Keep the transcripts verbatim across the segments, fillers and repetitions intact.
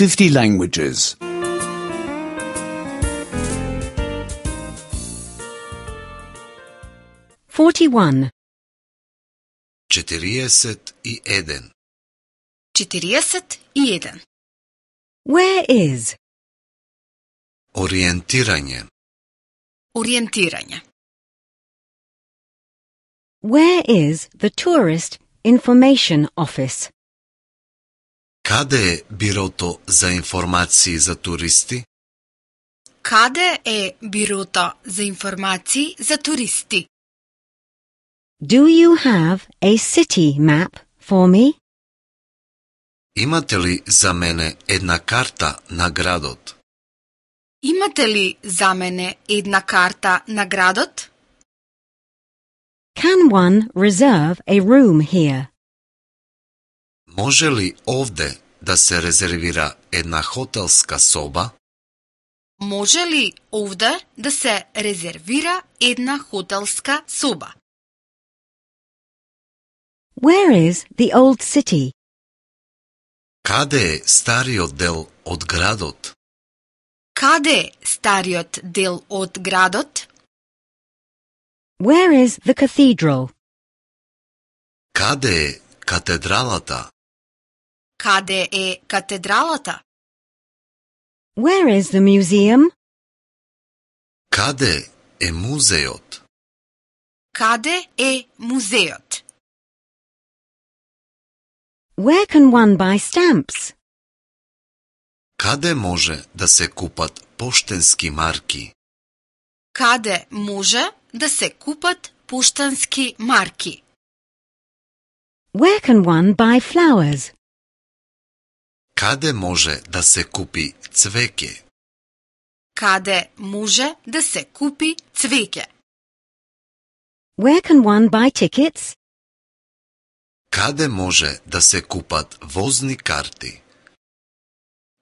fifty languages. forty-one. Четириесет и еден. Четириесет и еден. Where is? Ориентирање. Ориентирање. Where is the tourist information office? Каде е бирото за информации за туристи? Каде е бирото за информации за туристи? Do you have a city map for me? Имате ли за мене една карта на градот? Имате ли за мене една карта на градот? Can one reserve a room here? Може ли овде да се резервира една хотелска соба? Може ли овде да се резервира една хотелска соба? Where is the old city? Каде е стариот дел од градот? Каде е стариот дел од градот? Where is the cathedral? Каде е катедралата? Каде е катедралата? Where is the museum? Каде е музеот? Каде е музеот? Where can one buy stamps? Каде може да се купат поштенски марки? Каде може да се купат поштански марки? Where can one buy flowers? Каде може да се купи цвеќе? Каде може да се купи цвеќе? Where can one buy tickets? Каде може да се купат возни карти?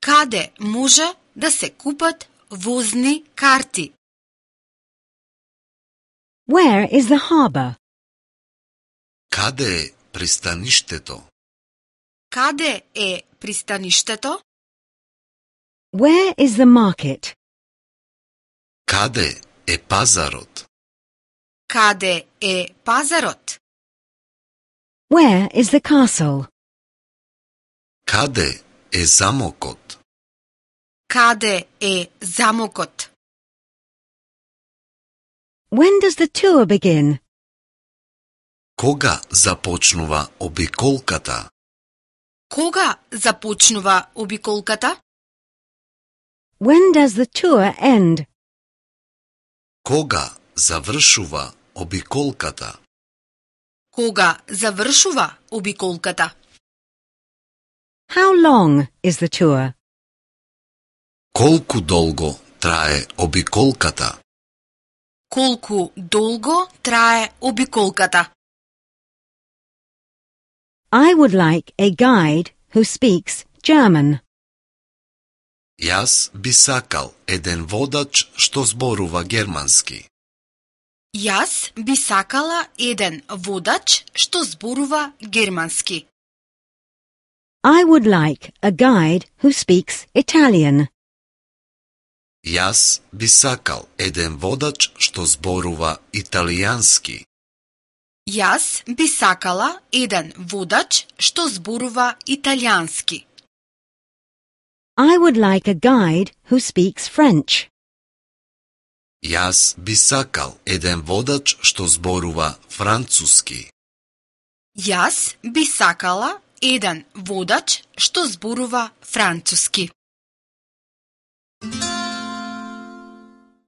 Каде може да се купат возни карти? Where is the harbor? Каде е пристаништето? Каде е пристаништето? Where is the market? Каде е пазарот? Каде е пазарот? Where is the castle? Каде е замокот? Каде е замокот? When does the tour begin? Кога започнува обиколката? Кога започнува обиколката? When does the tour end? Кога завршува обиколката? Кога завршува обиколката? How long is the tour? Колку долго трае обиколката? Колку долго трае обиколката? I would like a guide who speaks German. Јас би сакал еден водач што зборува германски. Јас би сакала еден водач што зборува германски. I would like a guide who speaks Italian. Јас би сакал еден водач што зборува италијански. Јас би сакала еден водач што зборува италијански. I would like a guide who speaks French. Јас би сакал еден водач што зборува француски. Јас би сакала еден водач што зборува француски.